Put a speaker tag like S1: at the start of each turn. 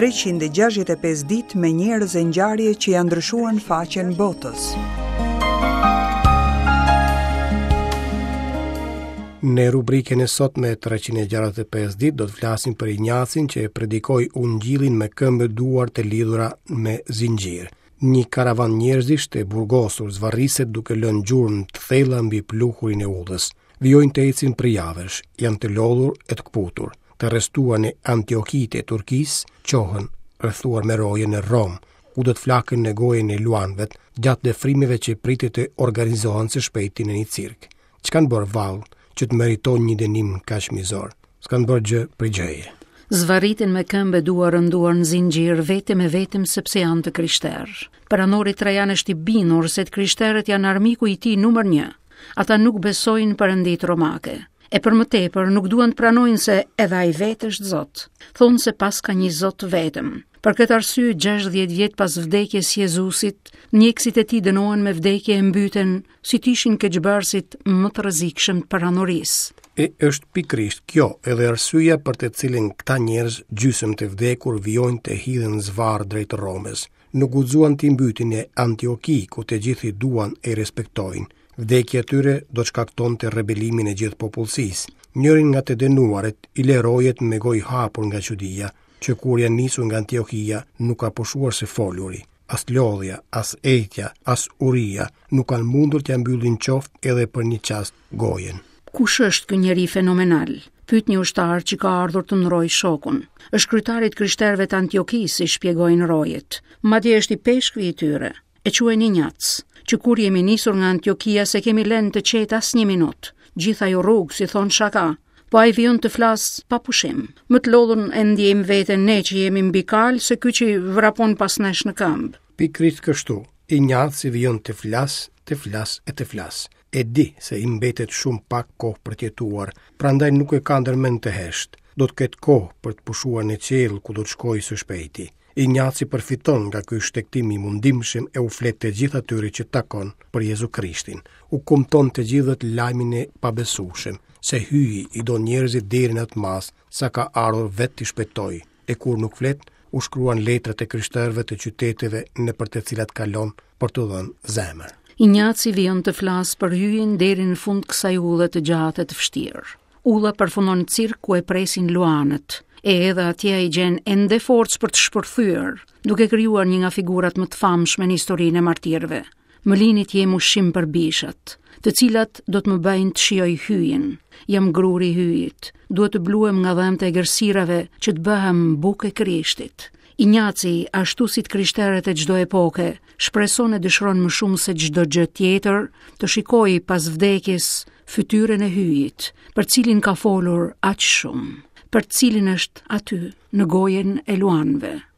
S1: 365 ditë me njerëz e ngjarje që ia ndryshuan faqen botës.
S2: Në rubrikën e sotme 365 ditë do të flasim për Injacin që e predikoi ungjillin me këmbë e duar të lidhura me zinxhirë. Një karavan njerëzish të burgosur zvarriset duke lënë gjurmë të thella mbi pluhurin e udhës. Vijojnë të ecin prej javësh, janë të lodhur e të këputur. Të arrestuar në Antioki të Turqisë, çohen rrethuar me roje në Romë, ku do të flaken në gojën e luanëve gjatë dëfrimeve që pritet të organizohen së shpejti në një cirk. Ç'kanë bërë vallë që të meritojnë një dënim kaq mizor? S'kanë bërë gjë prej
S3: gjëje. Zvarriten me këmbë e duar rënduar në zinxhirë vetëm e vetëm sepse janë të krishterë. Perandori Trajan është i bindur se të krishterët janë armiku i tij numër 1. Ata nuk besojnë perënditë romake. E për më tepër nuk duan të pranojnë se edhe ai vetë është Zot. Thonë se paska një Zot të vetëm. Për këtë arsye 60 vjet pas vdekjes së Jezusit, ndjekësit e tij dënohen me vdekje e mbyten si të ishin keqbërësit më të rrezikshëm të perandorisë.
S2: E është pikërisht kjo edhe arsyeja për të cilën këta njerëz gjysmë të vdekur vijojnë të hidhen zvarrë drejt Romës. Nuk guxuan t'i mbytin në Antioki, ku të gjithë i duan e i respektojnë. Vdekja e tyre do të shkaktonte rebelimin e gjithë popullsisë. Njërin nga të dënuarit i lë rojet me gojë hapur nga çudia, që kur janë nisur nga Antiokia nuk ka pushuar së foluri. As lodhja, as etja, as uria nuk kanë mundur t'ia mbyllin qoftë edhe për një çast gojën.
S3: Kush është ky njeri fenomenal? Pyet një ushtar që ka ardhur të ndërrojë shokun. Është kryetari i të krishterëve të Antiokisë, i shpjegojnë rojet. Madje është ipeshkvi i tyre. E quajnë Injac. Që kur jemi nisur nga Antiokia s'e kemi lënë të qetë asnjë minutë. Gjithë ajo rrugë, si thonë shaka, po ai vijon të flasë pa pushim. Më të lodhun e ndjejmë veten ne që jemi mbi kalë se ky që vrapon pas nesh në
S2: këmbë. Pikërisht kështu, Injaci vijon të flasë, të flasë e të flasë. E di se i mbetet shumë pak kohë për të jetuar, prandaj nuk e ka ndërmend të heshtë. Do të ketë kohë për të pushuar në qiell ku do të shkojë së shpejti. Injaci përfiton nga ky shtegtim i mundimshëm e u flet të gjithë atyre që takon për Jezu Krishtin. U kumton të gjithëve lajmin e pabesueshëm, se Hyji i do njerëzit deri në atë masë sa ka ardhur vetë t'i shpëtojë, e kur nuk flet, u shkruan letrat e krishterëve të qyteteve nëpër të cilat kalon për t'u dhënë
S3: zemër. Injaci vijon të flasë për Hyjin deri në fund kësaj udhe të gjatë e të vështirë. Udha përfundon në cirk ku e presin luanët, e edhe atje ai gjen ende forcë për të shpërthyer, duke krijuar një nga figurat më të famshme në historinë e martirëve. Më lini të jem ushqim për bishat, të cilat do të më bëjnë të shijoj Hyjin. Jam gruri i Hyjit, duhet të bluhem nga dhëmbët e egërsirave që të bëhem bukë e Krishtit. Injaci, ashtu si të krishterët e çdo epoke, shpreson e dëshiron më shumë se çdo gjë tjetër të shikojë pas vdekjes fytyrën e Hyjit, për cilin ka folur aq shumë, për cilin është aty në gojën e luanëve.